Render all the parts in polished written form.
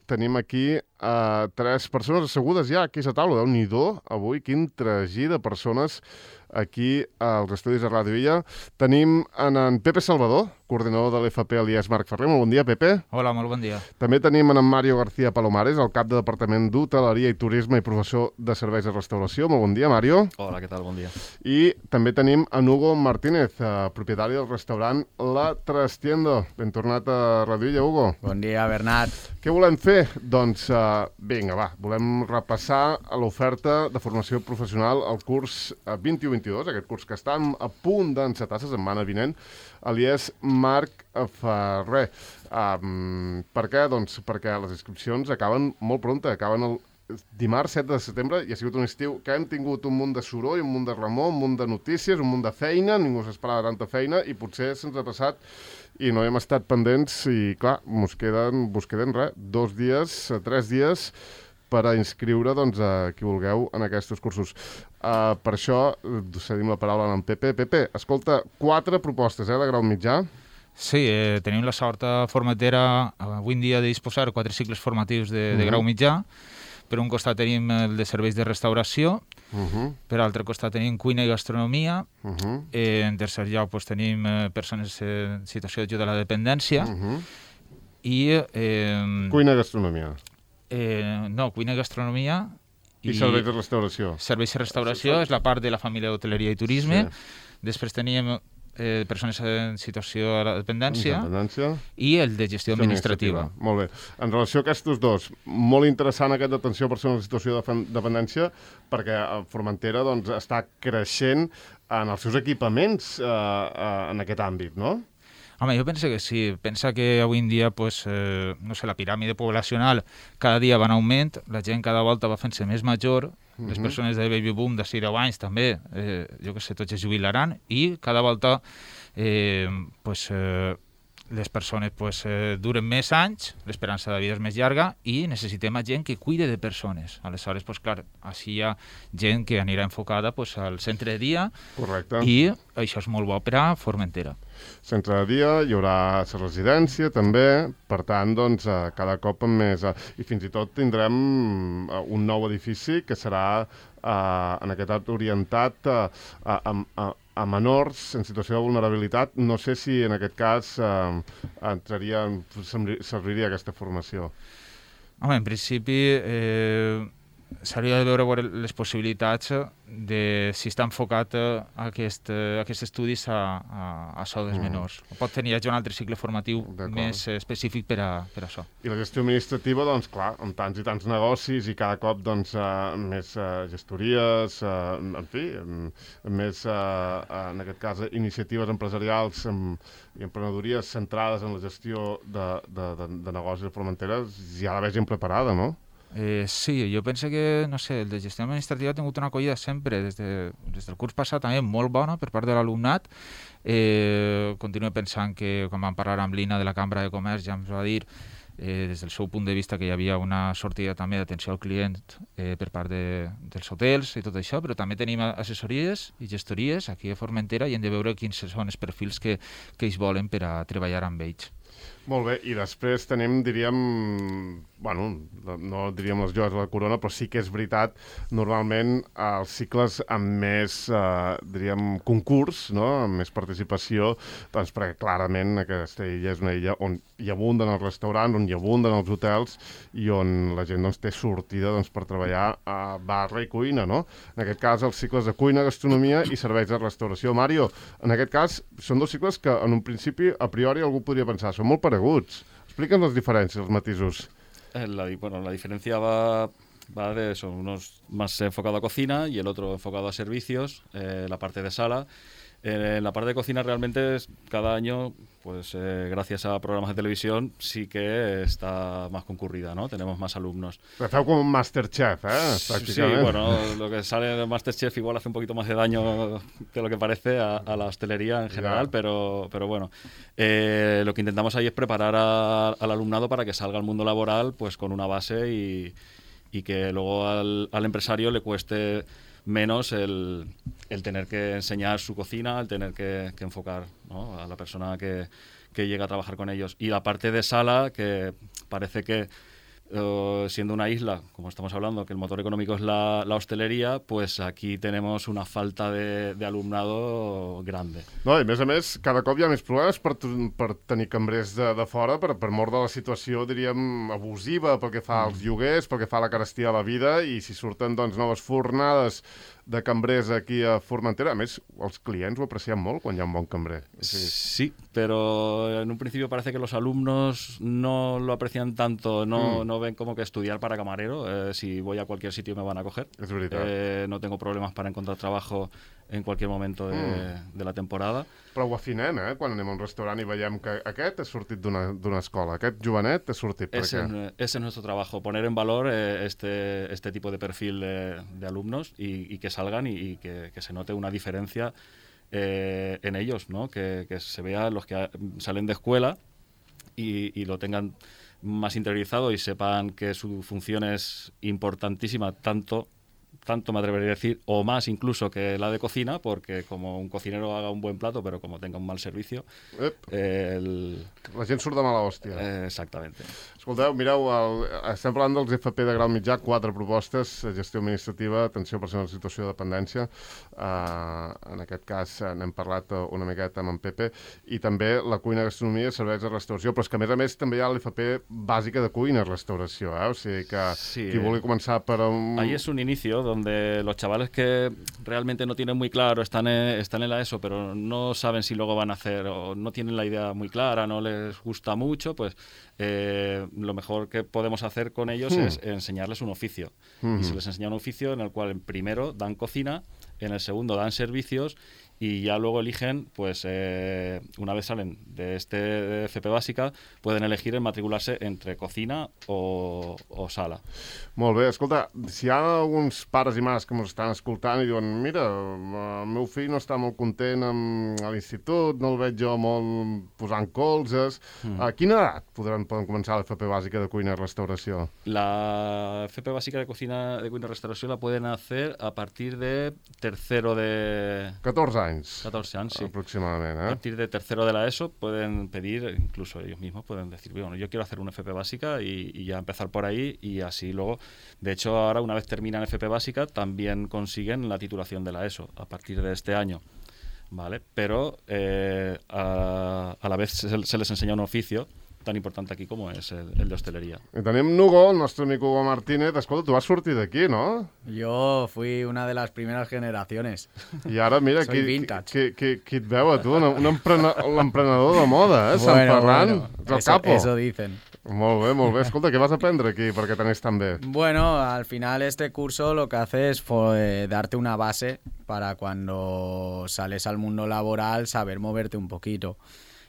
tenim aquí 3 persones assegudes ja aquí a la taula. Déu-n'hi-do, avui, quin tragí de persones aquí als estudis de Ràdio Illa. Tenim en Pepe Salvador, coordinador de l'FP Aliès Marc Ferrer. Molt bon dia, Pepe. Hola, molt bon dia. També tenim en Mario García Palomares, el cap de Departament d'Hoteleria i Turisme i professor de Serveis de Restauració. Molt bon dia, Mario. Hola, què tal? Bon dia. I també tenim en Hugo Martínez, propietari del restaurant La Trastienda. Ben tornat a Ràdio Illa, Hugo. Bon dia, Bernat. Què volem fer? Doncs, vinga, va, volem repassar l'oferta de formació professional al curs 21-22, aquest curs que està a punt d'encetar la setmana vinent, Aliès Marc Ferrer. Per què? Doncs perquè les inscripcions acaben molt prompte, acaben el dimarts 7 de setembre i ha sigut un estiu que hem tingut un munt de soroll, un munt de remor, un munt de notícies, un munt de feina, ningú s'esperava tanta feina i potser se'ns ha passat i no hem estat pendents i, clar, mos queden 2 dies, 3 dies per a inscriure doncs, a qui vulgueu en aquests cursos. Per això cedim la paraula a en Pepe. Pepe, escolta, 4 propostes de grau mitjà. Sí, tenim la sort a Formentera avui en dia de disposar 4 cicles formatius de grau mitjà. Per un costat tenim el de serveis de restauració, per altre costat tenim cuina i gastronomia, en tercer lloc tenim persones en situació d'ajuda a la dependència, i... Cuina i gastronomia. No, cuina i gastronomia... I serveis de restauració. Serveis de restauració és la part de la família d'hoteleria i turisme. Després tenim persones en situació de la dependència i el de gestió administrativa. Molt bé. En relació a aquests dos, molt interessant aquest d'atenció a persones en situació de dependència perquè Formentera doncs, està creixent en els seus equipaments en aquest àmbit, no? Home, jo penso que sí. Pensa que avui en dia, no sé, la piràmide poblacional cada dia va en augment, la gent cada volta va fent-se més major, les persones de baby boom de 10 anys també, jo que sé, tots es jubilaran, i cada volta les persones duren més anys, l'esperança de vida és més llarga i necessitem gent que cuide de persones. Aleshores, clar, així hi ha gent que anirà enfocada al centre de dia. Correcte. I això és molt bo per a Formentera. Centre de dia, hi haurà la residència també, per tant, doncs, cada cop amb més... I fins i tot tindrem un nou edifici que serà en aquest art orientat a menors en situació de vulnerabilitat. No sé si en aquest cas serviria aquesta formació. Home, en principi s'hauria de veure les possibilitats de si està enfocat aquests estudis a això dels menors. Pot tenir ja un altre cicle formatiu més específic per a això. I la gestió administrativa, doncs clar, amb tants i tants negocis i cada cop doncs, més gestories, en fi, més, en aquest cas, iniciatives empresarials i emprenedories centrades en la gestió de negocis de Formentera, ja la vegin preparada, no? Sí, jo penso que, no sé, el de gestió administrativa ha tingut una acollida sempre, des del curs passat també molt bona per part de l'alumnat. Continuo pensant que, quan vam parlar amb l'Ina de la Cambra de Comerç, ja ens va dir, des del seu punt de vista, que hi havia una sortida també d'atenció al client per part dels hotels i tot això, però també tenim assessories i gestories aquí a Formentera i hem de veure quins són els perfils que ells volen per a treballar amb ells. Molt bé, i després tenim, diríem, bueno, no diríem les joies de la corona, però sí que és veritat, normalment els cicles amb més, diríem, concurs, no?, amb més participació, doncs perquè clarament aquesta illa és una illa on hi abunden els restaurants, on hi abunden els hotels i on la gent doncs, té sortida doncs, per treballar a barra i cuina, no? En aquest cas, els cicles de cuina, gastronomia i serveis de restauració. Mario, en aquest cas, són 2 cicles que en un principi, a priori, algú podria pensar, són molt pareguts. Explica'ns les diferències, els matisos. La diferencia va de eso, unos más enfocado a cocina y el otro enfocado a servicios, la parte de sala. En la parte de cocina realmente cada año, pues gracias a programas de televisión, sí que está más concurrida, ¿no? Tenemos más alumnos. Feu como un Masterchef, prácticamente. Sí, bueno, lo que sale de Masterchef igual hace un poquito más de daño de lo que parece a la hostelería en general, pero bueno, lo que intentamos ahí es preparar al alumnado para que salga al mundo laboral pues con una base y que luego al empresario le cueste menos el tener que enseñar su cocina, el tener que enfocar, ¿no?, a la persona que llega a trabajar con ellos. Y la parte de sala, que parece que siendo una isla, como estamos hablando, que el motor económico es la hosteleria, pues aquí tenemos una falta de alumnado grande. No, i a més, cada cop hi ha més problemes per tenir cambrers de fora, per mort de la situació, diríem, abusiva pel que fa als lloguers, pel que fa a la carestia de la vida, i si surten, doncs, noves fornades de cambrers aquí a Formentera, a més, els clients ho aprecien molt quan hi ha un bon cambrer. Sí, pero en un principio parece que los alumnos no lo aprecian tanto, no ven como que estudiar para camarero, si voy a cualquier sitio me van a coger. És veritat. No tengo problemas para encontrar trabajo en cualquier momento de la temporada. Però ho afinem, quan anem a un restaurant i veiem que aquest ha sortit d'una escola, aquest jovenet ha sortit per què? Ese es nuestro trabajo, poner en valor este tipo de perfil de alumnos y que salgan y que se note una diferencia en ellos, ¿no? Que se vea los que salen de escuela y lo tengan más interiorizado y sepan que su función es importantísima, tanto me atrevería a decir, o más incluso que la de cocina, porque como un cocinero haga un buen plato, pero como tenga un mal servicio... La gent surt de mala hòstia. Exactament. Escolteu, mireu, estem parlant dels FP de grau mitjà, 4 propostes, gestió administrativa, atenció a persones en situació de dependència, en aquest cas n'hem parlat una miqueta amb en Pepe, i també la cuina, gastronomia, serveis de restauració, però és que a més també hi ha l'FP bàsica de cuina i restauració, o sigui que qui vulgui començar per un... Ahí es un inicio donde los chavales que realmente no tienen muy claro, están en la ESO, pero no saben si luego van a hacer, o no tienen la idea muy clara, no les gusta mucho, pues lo mejor que podemos hacer con ellos es enseñarles un oficio. Y se les enseña un oficio en el cual en primero dan cocina, en el segundo dan servicios y ya luego eligen, pues una vez salen de este FP bàsica, pueden elegir en matricularse entre cocina o sala. Molt bé, escolta, si hi ha alguns pares i mares que ens estan escoltant i diuen mira, el meu fill no està molt content a l'institut, no el veig jo molt posant colzes, a quina edat poden començar l'FP bàsica de cuina i restauració? La FP bàsica de cuina y restauración la pueden hacer a partir de tercero de... 14 anys. 14 anys, sí. Aproximadament, A partir de tercero de la ESO pueden pedir, incluso ellos mismos pueden decir, bueno, yo quiero hacer una FP básica y ya empezar por ahí y así luego, de hecho ahora una vez terminan FP básica también consiguen la titulación de la ESO a partir de este año, ¿vale? Pero a la vez se les enseña un oficio tan importante aquí como es el de hostelería. I tenim Hugo, el nostre amic Hugo Martínez. Escolta, tu vas sortir d'aquí, ¿no? Yo fui una de las primeras generaciones. I ara, mira, Soy vintage. qui et veu a tu? L'emprenedor de moda, Sant Ferran. Bueno, El capo. eso dicen. Molt bé, molt bé. Escolta, què vas aprendre aquí perquè t'anés tan bé? Bueno, al final este curso lo que hace es darte una base para cuando sales al mundo laboral saber moverte un poquito.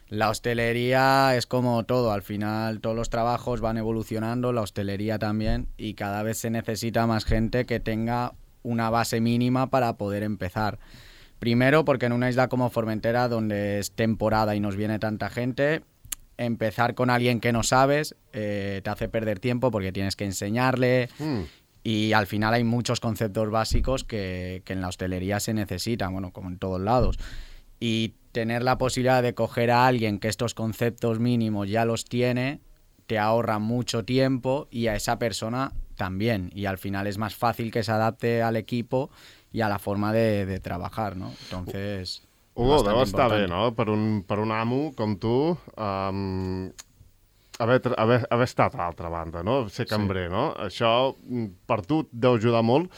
La hostelería es como todo, al final todos los trabajos van evolucionando, la hostelería también, y cada vez se necesita más gente que tenga una base mínima para poder empezar. Primero, porque en una isla como Formentera, donde es temporada y nos viene tanta gente, empezar con alguien que no sabes te hace perder tiempo porque tienes que enseñarle y al final hay muchos conceptos básicos que en la hostelería se necesitan, bueno, como en todos lados. Y tener la posibilidad de coger a alguien que estos conceptos mínimos ya los tiene, te ahorra mucho tiempo y a esa persona también. Y al final es más fácil que se adapte al equipo y a la forma de trabajar, ¿no? Entonces... Hugo, deu estar bé, no? Per un amo com tu, haver estat a l'altra banda, no? Ser cambrer, no? Això per tu et deu ajudar molt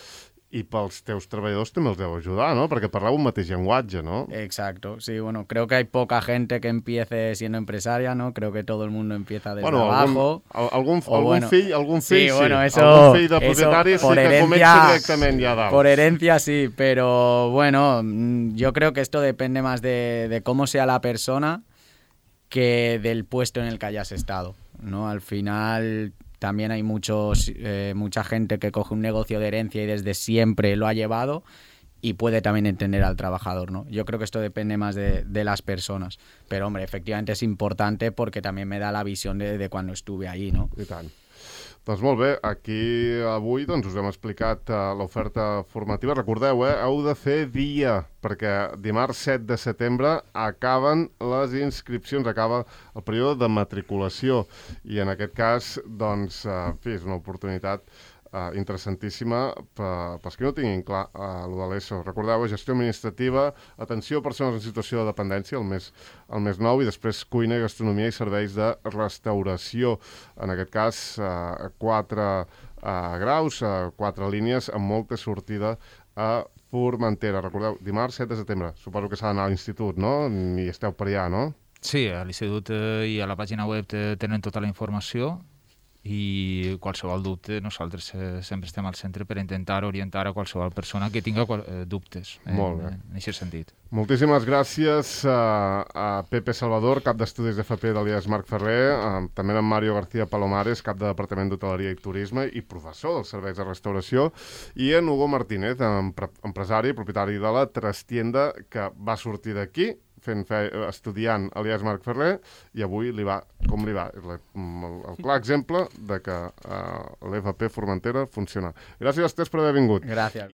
i pels teus treballadors també els deu ajudar, ¿no? Perquè parleu un mateix llenguatge, ¿no? Exacto, sí, bueno, creo que hay poca gente que empiece siendo empresaria, ¿no? Creo que todo el mundo empieza desde abajo. Algun fill sí, bueno, eso, algun fill de propietari eso, sí que comença directament ja dalt. Por herencia sí, pero bueno, yo creo que esto depende más de cómo sea la persona que del puesto en el que hayas estado, ¿no? Al final... También hay mucha gente que coge un negocio de herencia y desde siempre lo ha llevado y puede también entender al trabajador, ¿no? Yo creo que esto depende más de las personas. Pero, hombre, efectivamente es importante porque también me da la visión de cuando estuve ahí, ¿no? I tant. Doncs molt bé, aquí avui us hem explicat l'oferta formativa. Recordeu, heu de fer dia, perquè dimarts 7 de setembre acaben les inscripcions, acaba el període de matriculació, i en aquest cas, doncs, és una oportunitat interessantíssima pels que no tinguin clar el de l'ESO. Recordeu, gestió administrativa, atenció a persones en situació de dependència, el més nou, i després cuina, gastronomia i serveis de restauració. En aquest cas, 4 graus, 4 línies, amb molta sortida a Formentera. Recordeu, dimarts 7 de setembre. Suposo que s'ha d'anar a l'institut, no? I esteu per allà, no? Sí, a l'institut i a la pàgina web tenen tota la informació, i qualsevol dubte nosaltres sempre estem al centre per intentar orientar a qualsevol persona que tinga dubtes en aquest sentit. Moltíssimes gràcies a Pepe Salvador, cap d'estudis d'FP de l'IES Marc Ferrer, també a Mario García Palomares, cap de Departament d'Hoteleria i Turisme i professor dels serveis de restauració, i en Hugo Martínez, empresari, propietari de la Trastienda, que va sortir d'aquí estudiant a l'IES Marc Ferrer, i avui li va com li va. El clar exemple de que l'FP Formentera funciona. Gràcies a tots per haver vingut. Gràcies.